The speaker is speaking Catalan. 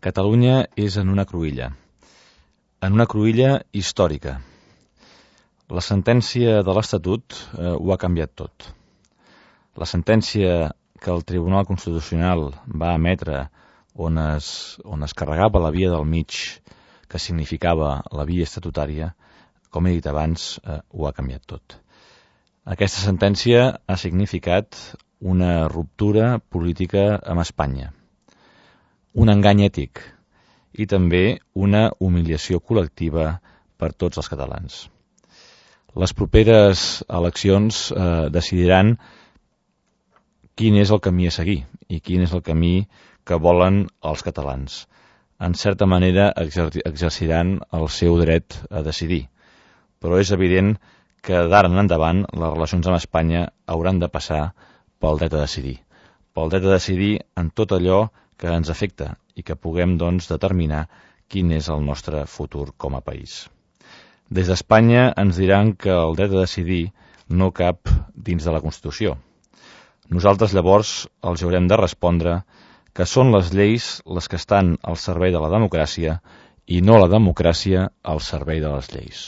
Catalunya és en una cruïlla històrica. La sentència de l'Estatut ho ha canviat tot. La sentència que el Tribunal Constitucional va emetre on es carregava la via del mig, que significava la via estatutària, com he dit abans, ho ha canviat tot. Aquesta sentència ha significat una ruptura política amb Espanya, un engany ètic i també una humiliació col·lectiva per tots els catalans. Les properes eleccions decidiran quin és el camí a seguir i quin és el camí que volen els catalans. En certa manera exerciran el seu dret a decidir, però és evident que d'ara en endavant les relacions amb Espanya hauran de passar pel dret a decidir en tot allò que ens afecta i que puguem, doncs, determinar quin és el nostre futur com a país. Des d'Espanya ens diran que el dret a decidir no cap dins de la Constitució. Nosaltres llavors els haurem de respondre que són les lleis les que estan al servei de la democràcia i no la democràcia al servei de les lleis.